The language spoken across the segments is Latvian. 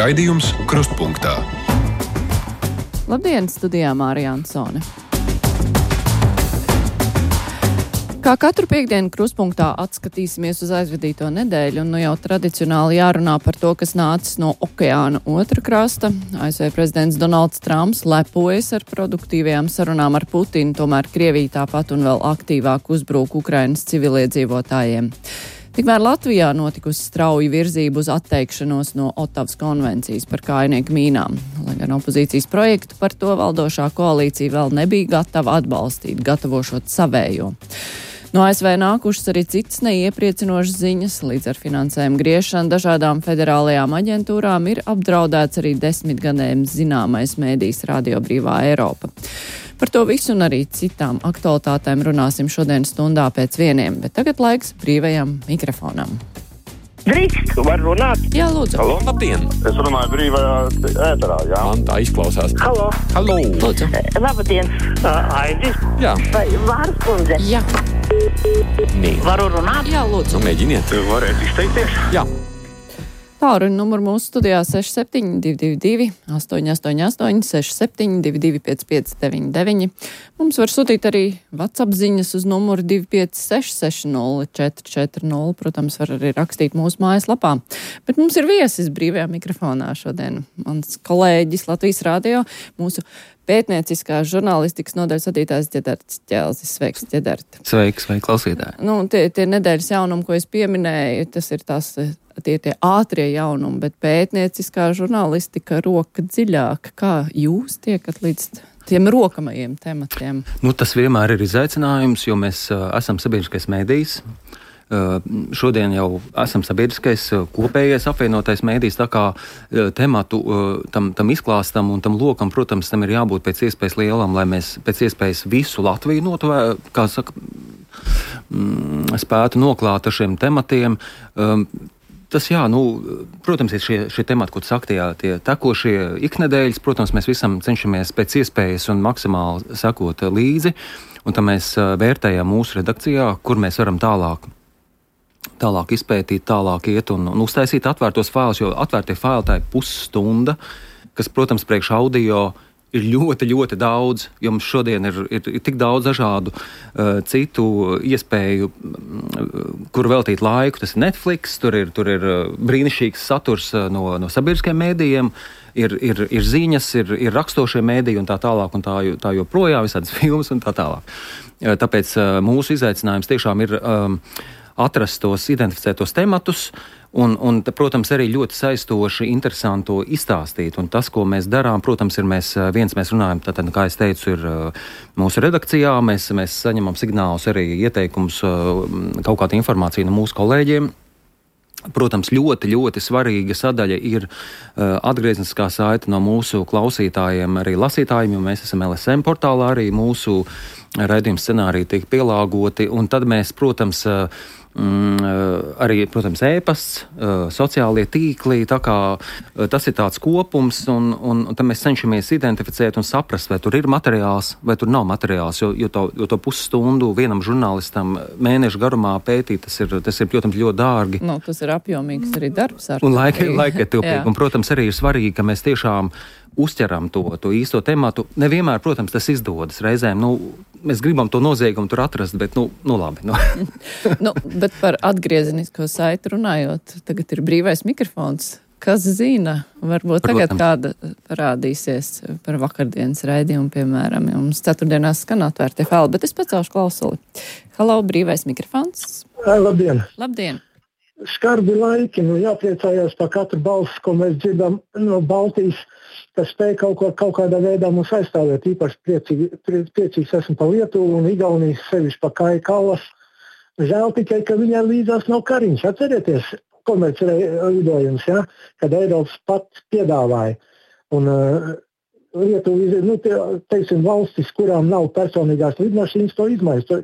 Raidījums Krustpunktā. Labdien, studijā Mārija Ansone. Kā katru piektdienu Krustpunktā atskatīsimies uz aizvadīto nedēļu, un jau tradicionāli jārunā par to, kas nācis no okeāna otra krasta. ASV prezidents Donalds Trumps lepojas ar produktīvajām sarunām ar Putinu, tomēr Krievija tāpat un vēl aktīvāk uzbrūk Ukrainas civiliedzīvotājiem. Tikmēr Latvijā notikusi strauja virzība uz atteikšanos no Otavas konvencijas par kājnieku mīnām. Lai gan opozīcijas projektu par to valdošā koalīcija vēl nebija gatava atbalstīt, gatavošot savējo. No ASV nākušas arī citas neiepriecinošas ziņas. Līdz ar finansējumu griešanu dažādām federālajām aģentūrām ir apdraudēts arī 10 gadiem zināmais mēdījis Radio Brīvā Eiropa. Par to visu un arī citām aktualitātēm runāsim šodien stundā pēc 1, bet tagad laiks brīvajam mikrofonam. Drīkst, var runāt? Jā, lūdzu. Halo, labdien! Es runāju brīvajā ēterā, jā. Man tā izklausās. Halo. Halo! Lūdzu. Labdien. Aidis? Jā. Vai Vārs kundze? Jā. Nē. Varu runāt? Jā, lūdzu. Nu, mēģiniet. Varētu izteikties? Jā. Tālruņa numuru mūsu studijā 6722 888 6722 5599. Mums var sūtīt arī WhatsApp ziņas uz numuru 256 60 440. Protams, var arī rakstīt mūsu mājaslapā. Bet mums ir viesis brīvajā mikrofonā šodien. Mans kolēģis Latvijas radio, mūsu pētnieciskās žurnālistikas nodaļas vadītājs Ģedarts Ķelzis. Sveiks, Ģedart. Sveiki, klausītāji. Nu, tie nedēļas jaunumi, ko es pieminēju, tas ir tie ātrie jaunumi, bet pētnieciskā žurnālistika roka dziļāk. Kā jūs tiekat līdz tiem rokamajiem tematiem? Tas vienmēr ir izaicinājums, jo mēs esam sabiedriskais mēdījis. Šodien jau esam sabiedriskais kopējais apvienotais mēdījis, tā kā tematu tam izklāstam un tam lokam, protams, tam ir jābūt pēc iespējas lielam, lai mēs pēc iespējas visu Latviju spētu noklāt ar šiem tematiem. Tas, protams, ir šie temati, ko tu saki, tie tekošie iknedēļas. Protams, mēs visam cenšamies pēc iespējas un maksimāli sekot līdzi, un tam mēs vērtējam mūsu redakcijā, kur mēs varam tālāk izpētīt, tālāk iet un uztaisīt atvērtos failus, jo atvērtie faili tā ir pusstunda, kas, protams, priekš audio ir ļoti, ļoti daudz, jo mums šodien ir tik daudz dažādu citu iespēju, kur veltīt laiku. Tas ir Netflix, tur ir brīnišķīgs saturs no sabiedriskajiem mēdījiem, ir ziņas, ir rakstošie mēdīji un tā tālāk, un tā joprojām visādas filmas un tā tālāk. Tāpēc mūsu izaicinājums tiešām ir atrast tos identificētos tematus un, protams, arī ļoti saistoši, interesanti izstāstīt. Un tas, ko mēs darām, protams, ir mēs runājam, tātad, kā es teicu, ir mūsu redakcijā, mēs saņemam signālus, arī ieteikumus, kaut kādu informāciju no mūsu kolēģiem. Protams, ļoti, ļoti svarīga sadaļa ir atgriezniskā saite no mūsu klausītājiem, arī lasītājiem, jo mēs esam LSM portālā, arī mūsu raidījuma scenāriji tiek pielāgoti, un tad mēs, protams, arī, e-pasts, sociālie tīkli, tā kā tas ir tāds kopums, un tad mēs cenšamies identificēt un saprast, vai tur ir materiāls, vai tur nav materiāls, jo to pusstundu vienam žurnālistam mēnešu garumā pētīt, tas ir, protams, ļoti dārgi. Tas ir apjomīgs arī darbs. Un laika tilpīgi, un, protams, arī ir svarīgi, ka mēs tiešām uzķeram to īsto tematu. Nevienmēr, protams, tas izdodas. Reizēm, mēs gribam to noziegumu tur atrast, bet, labi. Bet par atgriezenisko saiti runājot, tagad ir brīvais mikrofons. Kas zina? Varbūt tagad kāda parādīsies par vakardienas raidījumu, piemēram. Mums ceturtdienās skan atvērtie faili, bet es pacelšu klausuli. Halo, brīvais mikrofons. Labdien! Labdien! Skarbi laiki, jāpriecājās par katru balsi, ko mēs dzirdam no Baltijas, kas spēj kaut kādā veidā mums aizstāvēt. Īpaši priecīgs esmu par Lietuvu un Igaunijas, sevišķi par Kāju Kallas. Žēl tikai, ka viņai līdzās nav Kariņš. Atcerieties, komerclidojums, kad Eiropas pat piedāvāja. Un Lietuva, valstis, kurām nav personīgās lidmašīnas, to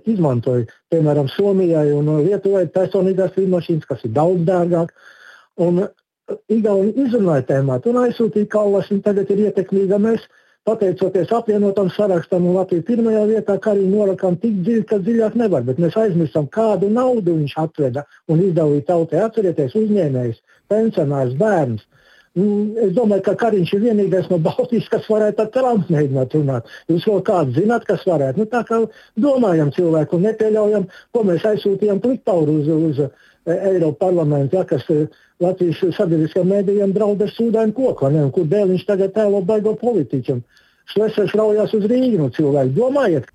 izmantoja. Piemēram, Somijai un Lietuvai personīgās lidmašīnas, kas ir daudz dārgāk. Un Igauni izrunāja tēmātu un aizsūtīja Kallas, un tagad ir ietekmīga. Mēs, pateicoties apvienotam sarakstam un Latviju pirmajā vietā, kā arī norakām tik dziļi, ka dziļāk nevar, bet mēs aizmirstam, kādu naudu viņš atveda un izdalīja tautai. Atcerieties, uzņēmējs, pensionārs, bērns. Es domāju, ka Kariņš ir vienīgais no Baltijas, kas varētu ar Trumpu mēģināt runāt. Jūs vēl kāds zināt, kas varētu? Tā kā domājam cilvēku un nepieļaujam, ko mēs aizsūtījām Pliktauru uz Eiropa parlamentu, kas Latvijas sabiedriskajiem mēdījiem draud ar sūdainu koku, un kur dēļ viņš tagad tēlo baigo politiķam. Šlesers raujās uz Rīgu, cilvēki. Domājiet!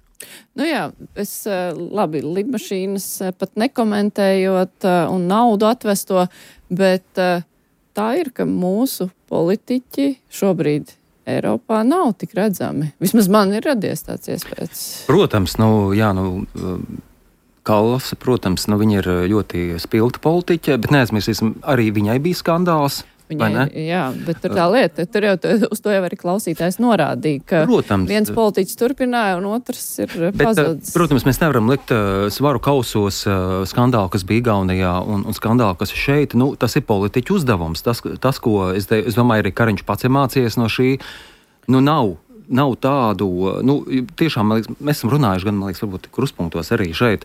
Jā, es labi, lidmašīnas pat nekomentējot un naudu atvesto, bet tā ir, ka mūsu politiķi šobrīd Eiropā nav tik redzami. Vismaz man ir radies tāds iespējas. Protams, Kalvs, protams, viņa ir ļoti spilgta politiķe, bet neaizmirsīsim, arī viņai bija skandāls. Jā, bet tur tā lieta, tur jau uz to jau arī klausītājs norādīja, ka viens politiķis turpināja un otrs ir pazudis. Protams, mēs nevaram likt svaru kausos skandālu, kas bija Igaunijā un skandālu, kas ir šeit. Tas ir politiķu uzdevums. Tas ko es domāju, arī Kariņš pats ir mācījies no šī, nav tādu, tiešām, man liekas, mēs esam runājuši gan, man liekas, varbūt kruspunktos arī šeit,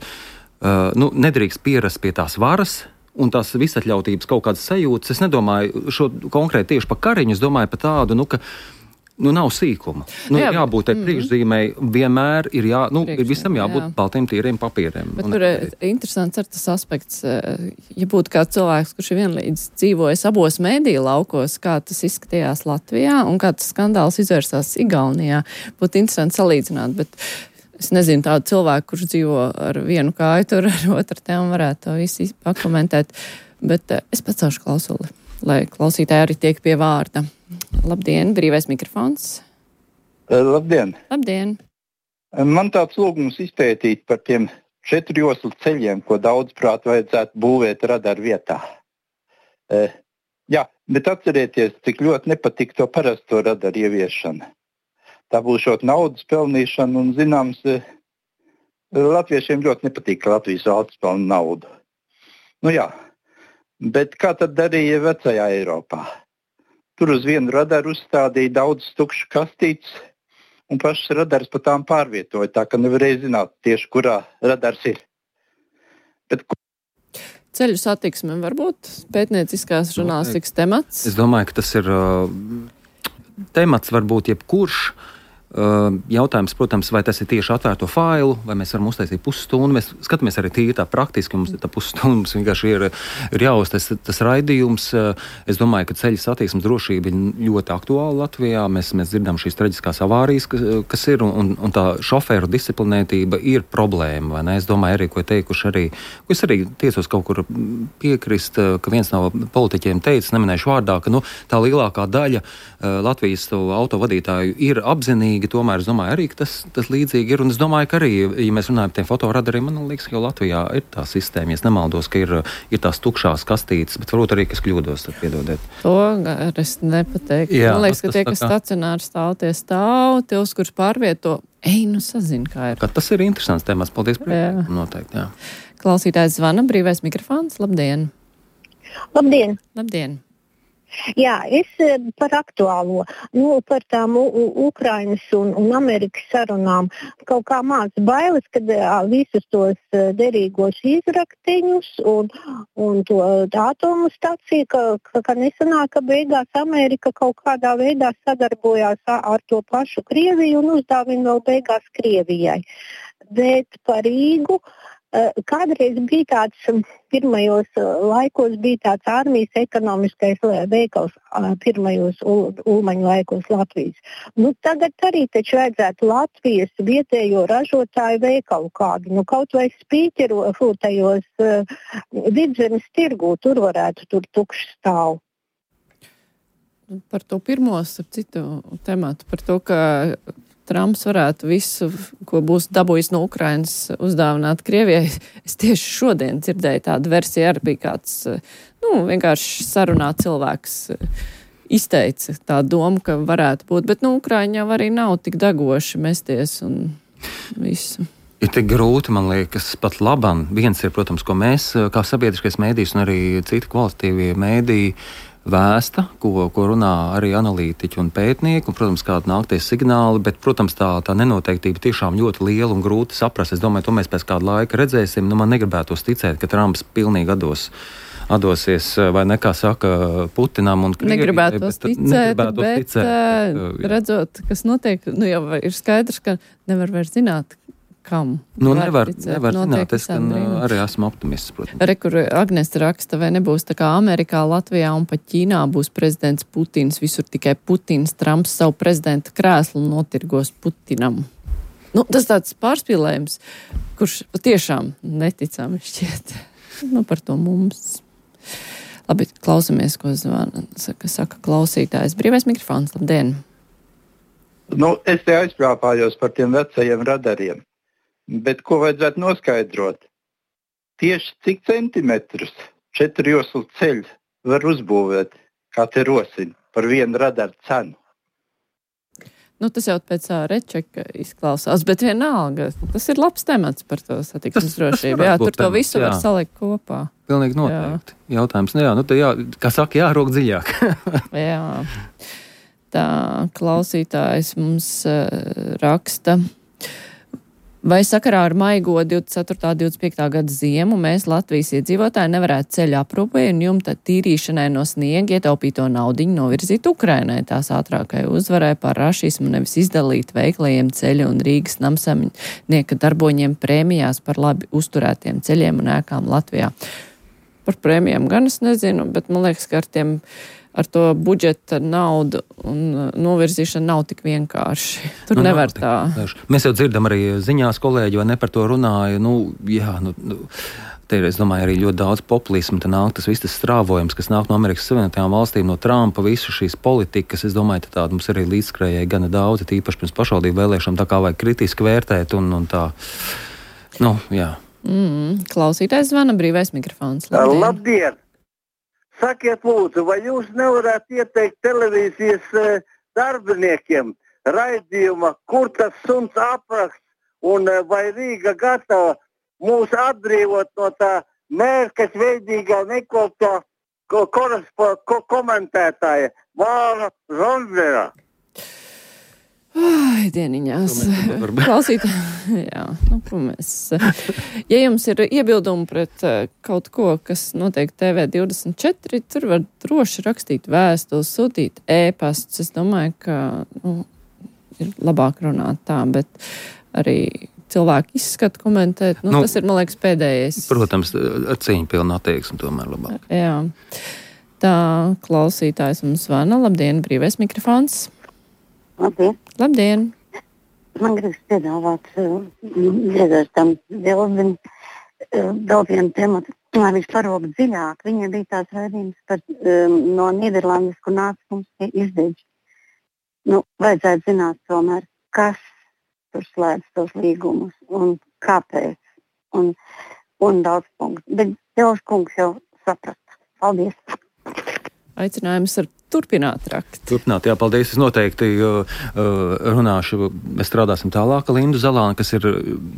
nedrīkst pierast pie tās varas, un tās visatļautības kaut kādas sajūtas. Es nedomāju šo konkrēti tieši par Kariņu, es domāju par tādu, ka nav sīkuma. Jābūt tai priekšzīmei, vienmēr ir visam jābūt baltiem tīriem papīriem. Bet tur ir interesants ar tas aspekts, ja būtu kāds cilvēks, kurš ir vienlīdz dzīvojis abos mēdīju laukos, kā tas izskatījās Latvijā un kā tas skandāls izvērsās Igaunijā, būtu interesanti salīdzināt, bet es nezinu tādu cilvēku, kurš dzīvo ar vienu kāju tur, ar otru te un varētu to visi pakomentēt, bet es pacelšu klausuli, lai klausītāji arī tiek pie vārda. Labdien, brīvais mikrofons. Labdien. Labdien. Man tāds lūgums izpētīt par tiem 4 joslu ceļiem, ko daudzprāt vajadzētu būvēt radaru vietā. Jā, bet atcerieties, cik ļoti nepatīk to parasto radaru ieviešana. Tā būs šot naudas pelnīšana, un zināms, latviešiem ļoti nepatīk, ka Latvijas valsts pelna naudu. Jā, bet kā tad darīja vecajā Eiropā? Tur uz vienu radaru uzstādīja daudz tukšu kastītes, un pašas radars pa tām pārvietoja, tā ka nevarēja zināt tieši, kurā radars ir. Ceļu satiksme varbūt pētnieciskās žurnālistikas temats? Es domāju, ka tas ir temats varbūt jebkurš. Jautājums, protams, vai tas ir tieši atvērto failu, vai mēs varam uztaisīt pusstundu. Mēs skatāmies arī tīri tā praktiski, mums tā pusstundu mums vienkārši ir jāuztais tas raidījums. Es domāju, ka ceļu satiksmes drošība ir ļoti aktuāla Latvijā. Mēs dzirdam šīs traģiskās avārijas, kas ir, un tā šoferu disciplinētība ir problēma, vai ne? Es domāju arī, ko es arī tiecos kaut kur piekrist, ka viens no politiķiem teica, neminēšu vārdā, ka tā lielākā daļa Latvijas autovadītāju ir apzinīgi. Tomēr es domāju arī, ka tas līdzīgi ir. Un es domāju, ka arī, ja mēs runājam par tiem fotoradariem, man liekas, ka jau Latvijā ir tā sistēma. Ja es nemaldos, ka ir tās tukšās kastītes, bet varbūt arī, kas kļūdos, tad piedodiet. To es nepateiktu. Man liekas, ka tie, kas stacionāri stāv, tie, uz kurus pārvieto, sazina, kā ir. Tas ir interesants temats. Paldies, noteikti, jā. Klausītājs zvana, brīvais mikrofons. Labdien! Labdien! Labdien! Jā, es par aktuālo, par tām Ukrainas un Amerikas sarunām kaut kā mācu bailes, kad visus tos derīgos izraktiņus un to atomu staciju, ka nesanāk, ka beigās Amerika kaut kādā veidā sadarbojās ar to pašu Krieviju un uzdāvina vēl beigās Krievijai. Bet par Rīgu kādreiz bija tāds, pirmajos laikos bija tāds armijas ekonomiskais veikals, pirmajos Ulmaņu laikos Latvijas. Tagad arī taču vajadzētu Latvijas vietējo ražotāju veikalu kādu, kaut vai spīķeru tajos Vidzemes tirgū, tur varētu tukšs stāv. Par to pirmo, citu tematu, par to, ka Trumps varētu visu, ko būs dabūjis no Ukrainas, uzdāvināt Krievijai. Es tieši šodien dzirdēju tādu versiju, arī bija kāds, vienkārši sarunā cilvēks izteica tā doma, ka varētu būt, bet Ukraiņa jau arī nav tik degoši mesties un visu. Ir tik grūti, man liekas, pat labam. Viens ir, protams, ko mēs, kā sabiedriskais mēdījis un arī citi kvalitatīvie mēdīji, vēsta, ko runā arī analītiķi un pētnieki, un, protams, kādi nākties signāli, bet, protams, tā nenoteiktība tiešām ļoti liela un grūti saprast. Es domāju, to mēs pēc kāda laika redzēsim. Man negribētos ticēt, ka Trumps pilnīgi atdosies, vai nekā saka Putinam un Krievijai. Negribētos ticēt, bet redzot, kas notiek, jau ir skaidrs, ka nevar vairs zināt, kam. Nevar zināt, es arī esmu optimists, protams. Kur Agnes raksta, vai nebūs tā kā Amerikā, Latvijā un pat Ķīnā būs prezidents Putins, visur tikai Putins, Trumps savu prezidenta krēslu notirgos Putinam. Tas tāds pārspīlējums, kurš patiešām neticami šķiet. Par to mums. Labi, klausamies, ko saka klausītājs. Brīvais mikrofons, labdien. Es te aizprāpājos par tiem vecajiem radariem. Bet ko vajadzētu noskaidrot? Tieši cik centimetrus 4 joslu ceļu var uzbūvēt, kā te rosina, par vienu radaru cenu? Tas jau pēc rečeka izklausās, bet vienalga, tas ir labs temats par to satiksmes drošību. Jā, tur to visu var salikt kopā. Pilnīgi noteikti. Jautājums, kā saka, jārok dziļāk. Jā. Tā klausītājs mums raksta. Vai sakarā ar maigo 24. 25. gada ziemu mēs Latvijas iedzīvotāji nevarētu ceļu aprūpei un jumta tīrīšanai no sniega ietaupīto naudiņu novirzīt Ukrainai tās ātrākai uzvarai par rašismu, nevis izdalīt veiklajiem ceļu un Rīgas namsamnieka darboņiem prēmijās par labi uzturētiem ceļiem un ēkām Latvijā? Par prēmijām gan es nezinu, bet man liekas, ka ar to budžeta naudu un novirzīšanu nav tik vienkārši. Tur nevar tā. Mēs jau dzirdam arī ziņās kolēģi, vai ne par to runāju. Te ir, es domāju, arī ļoti daudz populismu. Te nāk tas viss tas strāvojums, kas nāk no Amerikas Savienotajām valstīm, no Trumpa, visu šīs politikas. Es domāju, tāda mums arī līdzskrējēji gana daudz, tīpaši pirms pašvaldību vēlēšanām, tā kā vajag kritiski vērtēt un tā. Jā. Klausītājs zvana, brīvais mikrofons. Labdien! Sakiet, lūdzu, vai jūs nevarētu ieteikt televīzijas darbiniekiem raidījuma, kur tas suns apraksts un vai Rīga gatava mūs atbrīvot no tā mērķa veidīgā nekoptā komentētāja Māra Zondera? Dieniņās. Klausītāji, jā, ko mēs. Ja jums ir iebildumi pret kaut ko, kas notiek TV24, tur var droši rakstīt vēstules, sūtīt ēpastus. Es domāju, ka ir labāk runāt tā, bet arī cilvēku izskatu komentēt. Tas ir, man liekas, pēdējais. Protams, ar cīņu pilnu attieksmi tomēr labāk. Jā. Tā klausītājs mums zvana. Labdien, brīvais mikrofons. Labdien! Man gribas piedāvāt dziedātam Vildim vēl vienu tematu, lai viņš parūp dziļāk. Viņiem bija tās raidījums par no Nīderlandes, kur nāca mums izdeģi. Vajadzētu zināt tomēr, kas tur slēdz tos līgumus un kāpēc un daudz punktu. Bet Jauš kungs jau saprata. Paldies! Aicinājums ar turpināt rakt. Jā, paldies. Es noteikti runāšu, mēs strādāsim tālāk. Lindu Zalāni, kas ir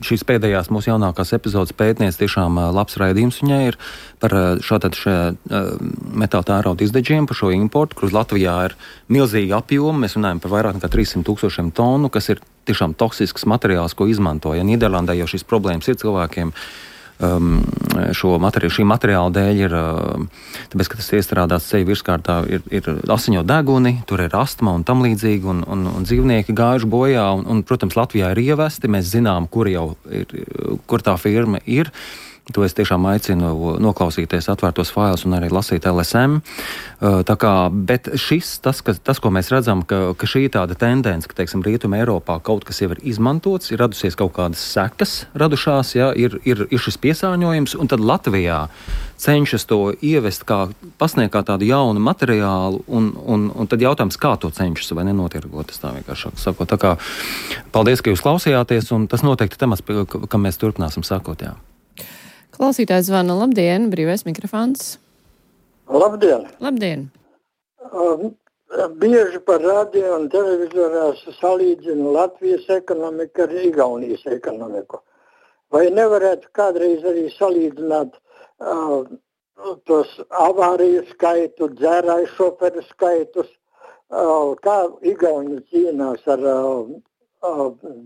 šīs pēdējās mūsu jaunākās epizodes pētniece, tiešām labs raidījums viņai ir par šādā metāla tērauda izdeģiem, par šo importu, kur Latvijā ir milzīgi apjomi. Mēs runājam par vairāk nekā 300,000 tonu, kas ir tiešām toksisks materiāls, ko izmanto. Ja Nīderlandē jau šīs problēmas ir cilvēkiem, šī materiāla dēļ ir, tāpēc, ka tas iestrādāts ceļu virskārtā, ir asiņo deguni, tur ir astma un tam līdzīgi, un dzīvnieki gājuši bojā, un, protams, Latvijā ir ievesti, mēs zinām, kur tā firma ir. To es tiešām aicinu noklausīties atvērtos failus un arī lasīt LSM. Bet tas, ko mēs redzam, ka šī tāda tendence, ka, teiksim, Rietuma Eiropā kaut kas jau ir izmantots, ir radusies kaut kādas sekas radušās, ja, ir šis piesārņojums, un tad Latvijā cenšas to ievest pasniegt kā tādu jaunu materiālu, un tad jautājums, kā to cenšas vai nenotirgot, tas tā vienkārši sakot. Tā kā paldies, ka jūs klausījāties, un tas noteikti temats, kam mēs turpināsim sakot, jā. Klausītājs zvana. Labdien, brīvais mikrofons. Labdien! Labdien! Bieži par radio un televizorās salīdzinu Latvijas ekonomiku ar Igaunijas ekonomiku. Vai nevarētu kādreiz arī salīdzināt tos avāriju skaitu, dzērāju šoferu skaitus, kā Igauni cīnās ar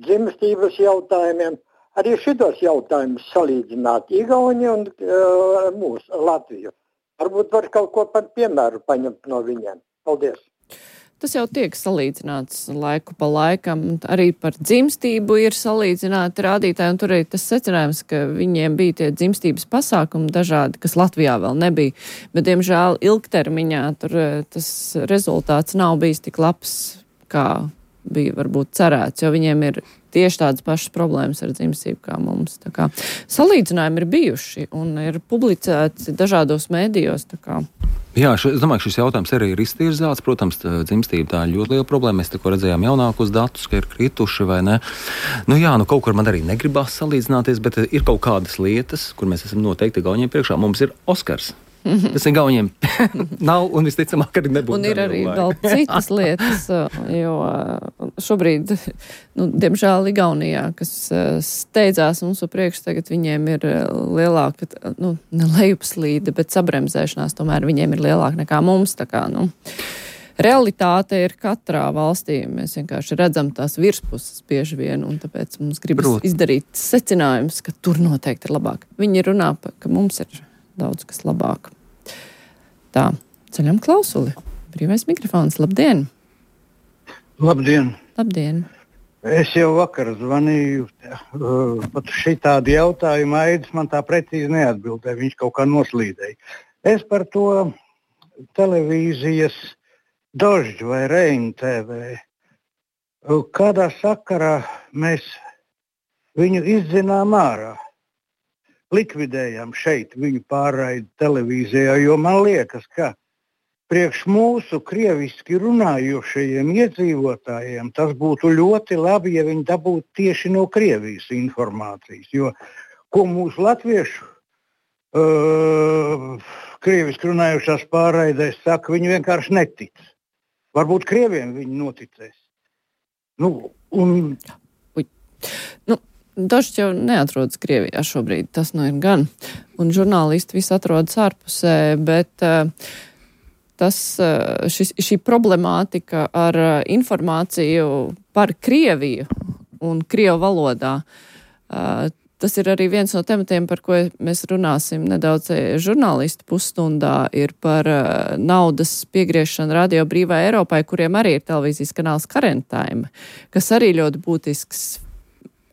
dzimstības jautājumiem? Arī šitos jautājumus salīdzināt Igauni un mūsu Latviju. Varbūt var kaut ko par piemēru paņemt no viņiem. Paldies! Tas jau tiek salīdzināts laiku pa laikam. Arī par dzimstību ir salīdzināti rādītāji, un tur arī tas secinājums, ka viņiem bija tie dzimstības pasākumi dažādi, kas Latvijā vēl nebija. Bet, diemžēl, ilgtermiņā tur tas rezultāts nav bijis tik labs, kā bija varbūt cerēts, jo viņiem ir tieši tādas pašas problēmas ar dzimstību kā mums. Tā kā salīdzinājumi ir bijuši un ir publicēti dažādos mēdījos. Tā kā. Jā, es domāju, ka šis jautājums arī ir iztirzāts. Protams, dzimstība tā ir ļoti liela problēma. Mēs tikko redzējām jaunākos datus, ka ir krituši vai ne. Nu jā, kaut kur man arī negribās salīdzināties, bet ir kaut kādas lietas, kur mēs esam noteikti Gauņiem priekšā. Mums ir Oskars. Tas ir Gauņiem nav un visticamāk arī nebūs. Un ir arī vēl citas lietas, jo šobrīd, diemžēl Igaunijā, kas steidzās mums priekš, tagad viņiem ir lielāka, ne lejupslīde, bet sabremzēšanās tomēr viņiem ir lielāka nekā mums. Tā kā, realitāte ir katrā valstī. Mēs vienkārši redzam tās virspuses bieži vien, un tāpēc mums gribas izdarīt secinājums, ka tur noteikti ir labāk. Viņi runā, ka mums ir daudz kas labāk. Tā, ceļam klausuli. Brīvais mikrofons. Labdien! Labdien! Labdien! Es jau vakar zvanīju pat šitādi jautājumu. Aidis man tā precīzi neatbildēja. Viņš kaut kā noslīdēja. Es par to televīzijas Dožģu vai Reinu TV. Kādā sakarā mēs viņu izdzinām ārā? Likvidējām šeit viņu pārraidi televīzijā, jo man liekas, ka priekš mūsu krieviski runājošajiem iedzīvotājiem tas būtu ļoti labi, ja viņi dabūtu tieši no Krievijas informācijas, jo ko mūsu latviešu krieviski runājošās pārraidēs saka, viņi vienkārši netic. Varbūt krieviem viņi noticēs. Dožģis jau neatrodas Krievijā šobrīd, tas ir gan. Un žurnālisti visi atrodas ārpusē, bet šī problemātika ar informāciju par Krieviju un Krievu valodā, tas ir arī viens no tematiem, par ko mēs runāsim nedaudz žurnālistu pusstundā, ir par naudas piegriešanu Radio Brīvai Eiropai, kuriem arī ir televīzijas kanāls Current Time, kas arī ļoti būtisks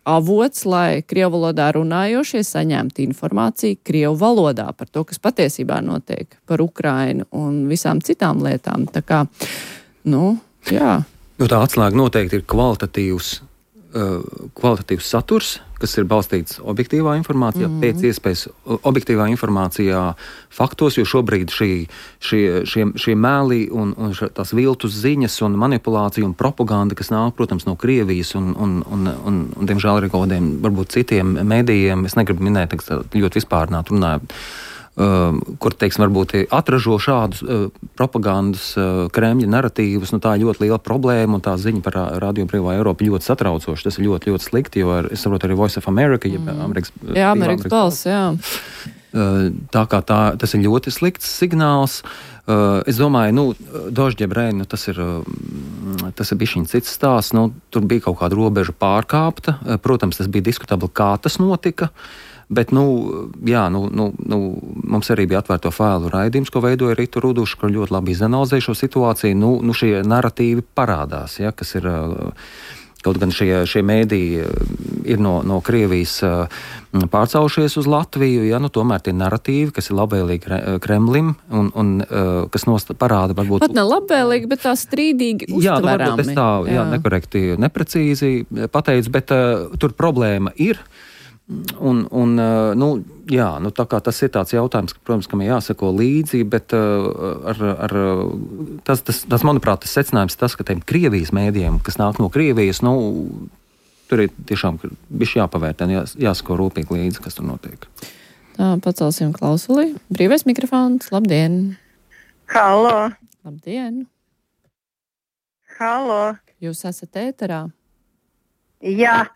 avots, lai Krievu valodā runājošie saņemtu informāciju Krievu valodā par to, kas patiesībā notiek par Ukrainu un visām citām lietām. Tā kā, jā. Tā atslēga noteikti ir kvalitatīvs saturs, kas ir balstīts objektīvā informācijā, pēc iespējas objektīvā informācijā, faktos, jo šobrīd šie mēli un tās viltus ziņas un manipulācija un propaganda, kas nāk, protams, no Krievijas un diemžēl arī kaut kādiem varbūt citiem medijiem, es negribu minēt, ļoti vispārināt runāju, kur, varbūt atražo šādus propagandas Kremļa naratīvus, tā ir ļoti liela problēma, un tā ziņa par Radio Brīvā Eiropa ļoti satraucoša. Tas ir ļoti, ļoti slikti, jo es saprotu arī Voice of America, Amerikas balss, jā. Tā kā tas ir ļoti slikts signāls. Es domāju, Dožģi Reinu, tas ir bišķiņ cits stāsts. Tur bija kaut kāda robeža pārkāpta. Protams, tas bija diskutabli, kā tas notika. Bet, mums arī bija atvērto failu raidījums, ko veidoja Rita Ruduša, kur ļoti labi izanalizēja šo situāciju. Šie naratīvi parādās, ja, kas ir, kaut gan šie mēdīji ir no Krievijas pārcaušies uz Latviju, ja, tomēr tie naratīvi, kas ir labvēlīgi Kremlim un kas parāda varbūt... Pat ne labvēlīgi, bet tā strīdīgi uztverami. Es tā, nekorekti, neprecīzi pateicu, bet tur problēma ir. Tā kā tas ir tāds jautājums, protams, kam ir jāsako līdzi, bet tas, manuprāt, tas secinājums tas, ka tiem Krievijas mēdījiem, kas nāk no Krievijas, tur ir tiešām bišķi jāpavērtē, jāsako rūpīgi līdzi, kas tur notiek. Tā, pacelsim klausuli. Brīvais mikrofons, labdien! Halo! Labdien! Halo! Jūs esat ēterā? Jā,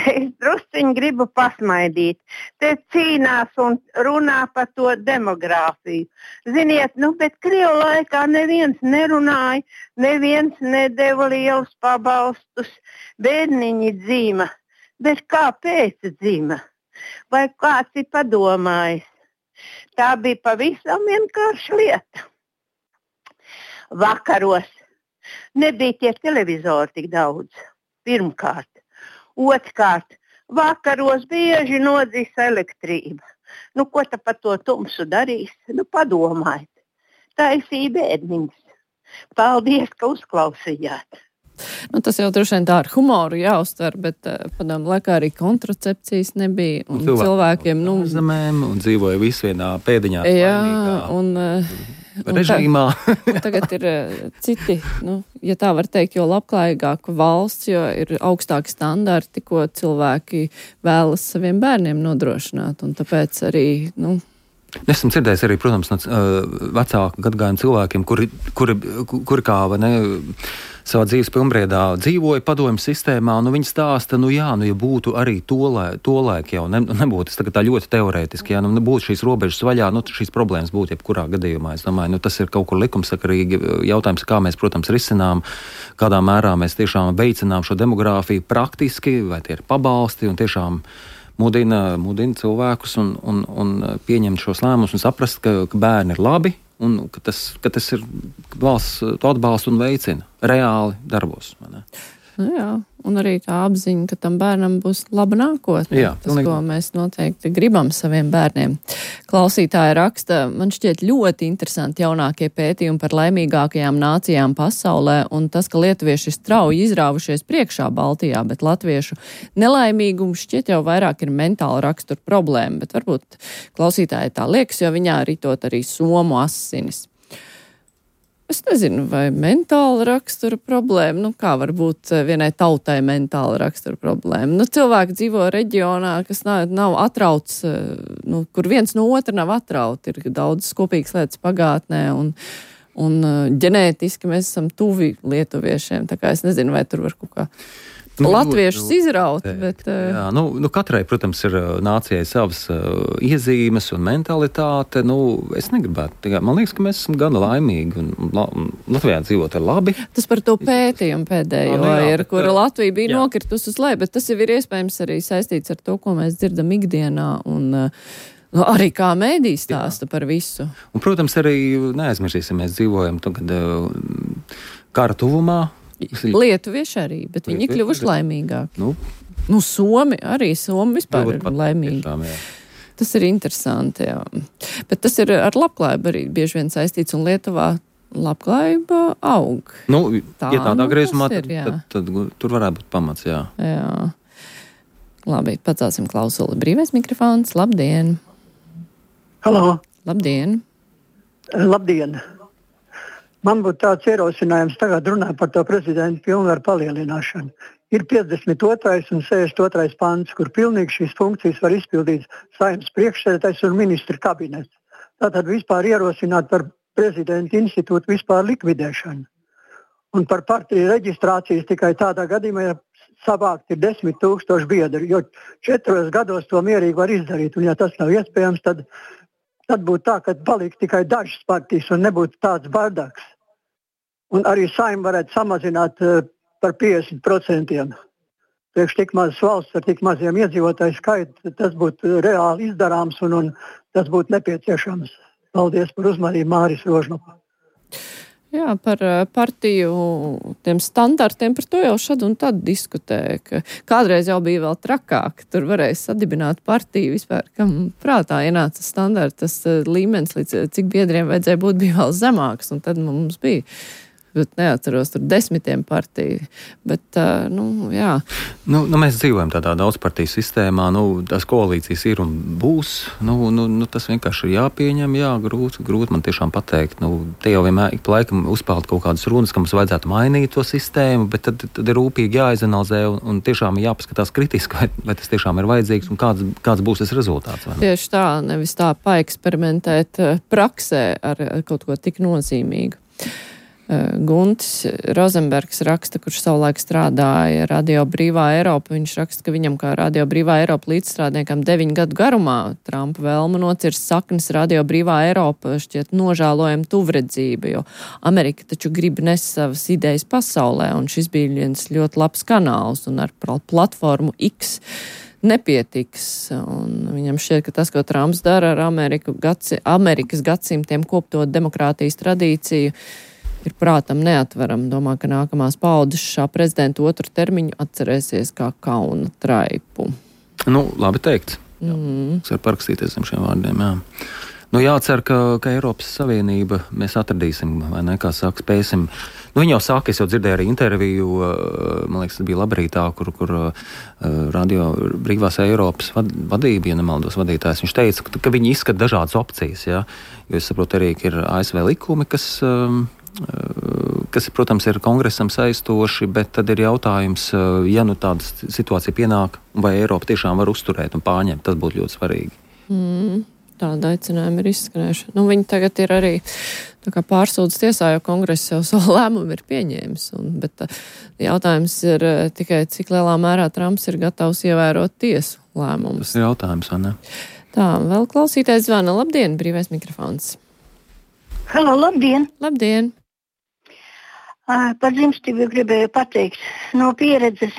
es drusciņi gribu pasmaidīt. Te cīnās un runā par to demogrāfiju. Ziniet, bet Krievu laikā neviens nerunāja, neviens nedeva lielus pabalstus, bērniņi dzīma. Bet kāpēc dzīma? Vai kāds ir padomājis? Tā bija pavisam vienkārša lieta. Vakaros nebija tie televizori tik daudz. Pirmkārt. Otrkārt, vakaros bieži nodzīs elektrība. Ko ta par to tumsu darīs? Padomājiet. Taisīja bēdniņas. Paldies, ka uzklausījāt. Tas jau droši vien tā ar humoru jāuztver, bet padomu laikā arī kontracepcijas nebija. Un cilvēkiem, zemēm, un dzīvoja visi vienā pēdiņā. Jā, un režīmā. Un tagad ir citi, ja tā var teikt, jo labklājīgāka valsts, jo ir augstāki standarti, ko cilvēki vēlas saviem bērniem nodrošināt. Un tāpēc arī, Esmu dzirdējis arī, protams, no vecāku gadagājumu cilvēkiem, kuri kā savā dzīves pilnbriedā dzīvoja padomju sistēmā, viņi stāsta, ja būtu arī tolaik jau, nebūtu tas tā ļoti teorētiski, nebūtu šīs robežas vaļā, šīs problēmas būtu jebkurā gadījumā. Es domāju, tas ir kaut kur likumsakarīgi jautājums, kā mēs, protams, risinām, kādā mērā mēs tiešām veicinām šo demogrāfiju praktiski, vai tie ir pabalsti un tiešām mudina cilvēkus un pieņemt šos lēmumus un saprast, ka bērni ir labi un ka tas ir valsts to atbalstu un veicina reāli darbos. Jā, un arī tā apziņa, ka tam bērnam būs laba nākotne. Jā, tas, ko mēs noteikti gribam saviem bērniem. Klausītāja raksta, man šķiet ļoti interesanti jaunākie pētījumi par laimīgākajām nācijām pasaulē, un tas, ka lietuvieši ir strauji izrāvušies priekšā Baltijā, bet latviešu nelaimīgums šķiet jau vairāk ir mentāla rakstura problēma, bet varbūt klausītāji tā liekas, jo viņā ritot arī somu asinis. Es nezinu, vai mentāla rakstura problēma, kā var būt vienai tautai mentāla rakstura problēma. Cilvēki dzīvo reģionā, kas nav atrauts, kur viens no otra nav atrauti. Ir daudz kopīgas lietas pagātnē un ģenētiski mēs esam tuvi lietuviešiem. Tā kā es nezinu, vai tur var kaut kā latviešus izraut, bet... Jā, katrai, protams, ir nācijai savas iezīmes un mentalitāte. Es negribētu. Man liekas, ka mēs esam gana laimīgi un Latvijā dzīvot ir labi. Tas par to pētījumu pēdējo ir, kura Latvija bija nokritus uz leju, bet tas jau ir iespējams arī saistīts ar to, ko mēs dzirdam ikdienā un... arī kā mēdī stāsta par visu. Un, protams, arī neaizmirsīsim, mēs dzīvojam tagad kara tuvumā. Lietuvieši arī, bet viņi kļuvuši laimīgāki. Somi vispār ir laimīgi. Tiešām, tas ir interesanti, jā. Bet tas ir ar labklājību arī bieži vien saistīts, un Lietuvā labklājība aug. Ja tādā griezumā, tad tur varētu būt pamats, jā. Jā. Labi, pacelsim klausuli. Brīvais mikrofons, labdien! Halo! Labdien! Labdien! Man būtu tāds ierosinājums tagad runāt par to prezidenta pilnvaru palielināšanu. Ir 52. un 62. pants, kur pilnīgi šīs funkcijas var izpildīt Saeimas priekšsēdētājs un ministra kabinets. Tātad vispār ierosināt par prezidenta institūtu vispār likvidēšanu. Un par partiju reģistrācijas tikai tādā gadījumā, ja savākt ir 10,000 biedri, jo 4 gados to mierīgi var izdarīt. Un ja tas nav iespējams, tad būtu tā, ka paliek tikai dažas partijas un nebūtu tāds bardaks. Un arī Saeima varētu samazināt par 50%. Priekš tik mazas valsts ar tik maziem iedzīvotāju skaitu, tas būtu reāli izdarāms un tas būtu nepieciešams. Paldies par uzmanību, Māris Rožnopa. Jā, par partiju tiem standartiem, par to jau šad un tad diskutēja, ka kādreiz jau bija vēl trakāk, tur varēja sadibināt partiju vispār, kam prātā ienāca standarts, tas līmenis, līdz cik biedriem vajadzēja būt, bija vēl zemāks, un tad mums bija, bet neatceros, tur 10 partiju, bet, jā. Mēs dzīvojam tādā daudzpartiju sistēmā, tās koalīcijas ir un būs, tas vienkārši ir jāpieņem, grūti man tiešām pateikt, te jau vienmēr ik pa laikam uzpeld kaut kādas runas, ka mums vajadzētu mainīt to sistēmu, bet tad ir rūpīgi jāizanalizē un tiešām jāpaskatās kritiski, vai tas tiešām ir vajadzīgs un kāds būs tas rezultāts. Tieši tā, nevis tā paeksperimentēt praksē ar kaut ko tik nozīmīgu. Guntis Rozenbergs raksta, kurš savulaik strādāja Radio Brīvā Eiropa. Viņš raksta, ka viņam kā Radio Brīvā Eiropa līdzstrādniekam 9 gadu garumā Trumpa vēlmu nocirst saknes Radio Brīvā Eiropa šķiet nožēlojama tuvredzība, jo Amerika taču grib nes savas idejas pasaulē, un šis bija viens ļoti labs kanāls, un ar platformu X nepietiks. Un viņam šķiet, ka tas, ko Trumps dara ar Amerikas gadsimtiem kopto demokrātijas tradīciju, ir prātam neatveram. Domā, ka nākamās paudzes šā prezidenta otru termiņu atcerēsies kā kauna traipu. Nu, labi teikts. Es varu parakstīties zem šiem vārdiem, jā. Nu, jācer, ka Eiropas Savienība mēs atradīsim, vai ne, kā saka, spēsim. Nu, viņi jau saka, es jau dzirdēju arī interviju, man liekas, tas bija Labrītā, kur radio Brīvās Eiropas vadība, ja nemaldos vadītājs, viņš teica, ka viņi izskata dažādas opcijas, jā. Jo es saprotu arī, ka ir ASV likumi, kas, protams, ir kongresam saistoši, bet tad ir jautājums, ja nu tāda situācija pienāk, vai Eiropa tiešām var uzturēt un pārņemt, tas būtu ļoti svarīgi. Tāda aicinājuma ir izskanējuši. Nu, viņi tagad ir arī pārsūdzes tiesā, jo kongress jau savu lēmumu ir pieņēmis. Bet jautājums ir tikai, cik lielā mērā Trumps ir gatavs ievērot tiesu lēmumus. Tas ir jautājums, vai ne? Tā, vēl klausītājs zvana. Labdien, brīvais mikrofons. Halo, labdien! Labdien! Par dzimstību gribēju pateikt no pieredzes.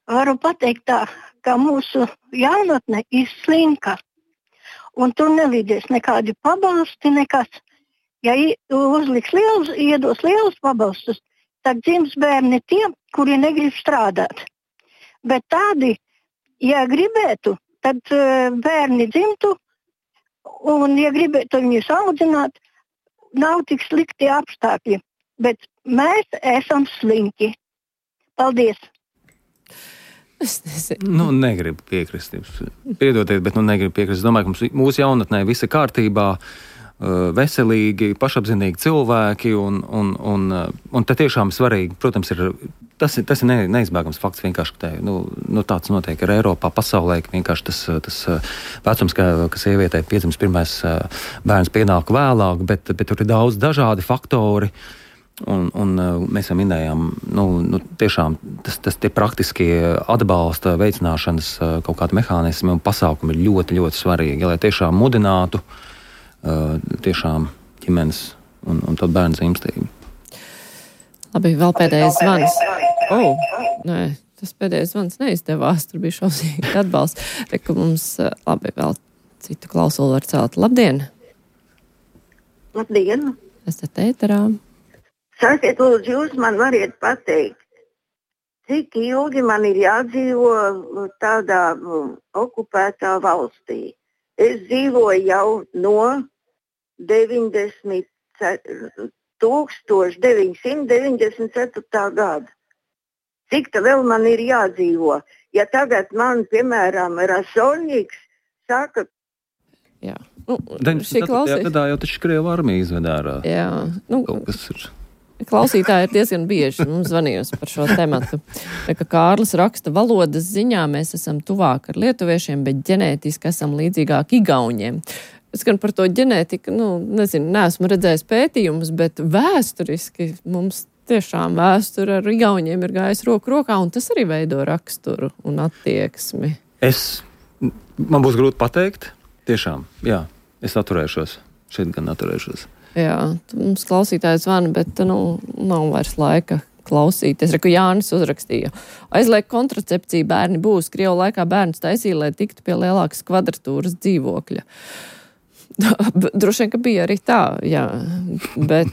Varu pateikt tā, ka mūsu jaunatne ir slinka. Un tur nelīdēs nekādi pabalsti, nekas. Ja iedos lielus pabalstus, tad dzims bērni tie, kuri negrib strādāt. Bet tādi, ja gribētu, tad bērni dzimtu, un ja gribētu viņus audzināt, nav tik slikti apstākļi. Bet mēs esam slinki. Paldies! Es nezinu. Nu, negribu piekrist. Piedodiet, bet negribu piekrist. Es domāju, ka mūsu jaunatnē viss ir kārtībā, veselīgi, pašapzinīgi cilvēki, un te tiešām svarīgi, protams, tas ir neizbēgams fakts vienkārši, ka tāds notiek ar Eiropā, pasaulē, ka vienkārši tas vecums, ka sievietei piedzimst pirmais bērns pienāk vēlāk, bet tur ir daudz dažādi faktori. Un mēs jau minējām, tiešām tas tie praktiskie atbalsta veicināšanas kaut kādi mehānismi un pasākumi ir ļoti, ļoti svarīgi, lai tiešām mudinātu tiešām ģimenes un tad bērnu dzimstību. Labi, vēl pēdējais zvans. Nē, tas pēdējais zvans neizdevās, tur bija šausmīgi atbalsts. Reku mums, labi, vēl citu klausulu var celt. Labdien! Labdien! Esat ēterā. Sakiet, lūdzu, jūs man variet pateikt, cik ilgi man ir jādzīvo tādā okupētā valstī. Es dzīvoju jau no 1994. gada. Cik tā vēl man ir jādzīvo? Ja tagad man, piemēram, Rasoņiks saka... Jā. 94. gadā jau taču Krievu armija izvedā ārā. Jā. Kaut kas ir... Klausītāji ir diezgan bieži mums zvanījusi par šo tematu. Ka Kārlis raksta, valodas ziņā mēs esam tuvāk ar lietuviešiem, bet ģenētiski esam līdzīgāk igauņiem. Es gan par to ģenētiku, neesmu redzējis pētījumus, bet vēsturiski mums tiešām vēsture ar igauņiem ir gājis roku rokā, un tas arī veido raksturu un attieksmi. Man būs grūti pateikt, tiešām, jā, es atturēšos, šeit gan atturēšos. Jā, mums klausītājs zvana, bet nav vairs laika klausīties. Reku Jānis uzrakstīja. Aizliek kontracepciju bērni būs. Krievu laikā bērns taisīja, lai tiktu pie lielākas kvadratūras dzīvokļa. Droši vien, ka bija arī tā, jā. Bet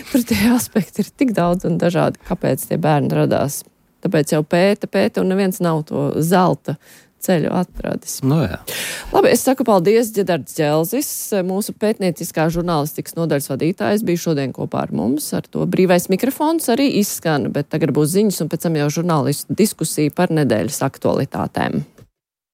tur tie aspekti ir tik daudz un dažādi, kāpēc tie bērni radās. Tāpēc jau pēta un neviens nav to zelta ceļu atradis. Jā. Labi, es saku paldies, Ģedards Ģelzis, mūsu pētnieciskā žurnālistikas nodaļas vadītājs, bija šodien kopā ar mums, ar to brīvais mikrofons arī izskan, bet tagad būs ziņas un pēc tam jau žurnālistu diskusija par nedēļas aktualitātēm.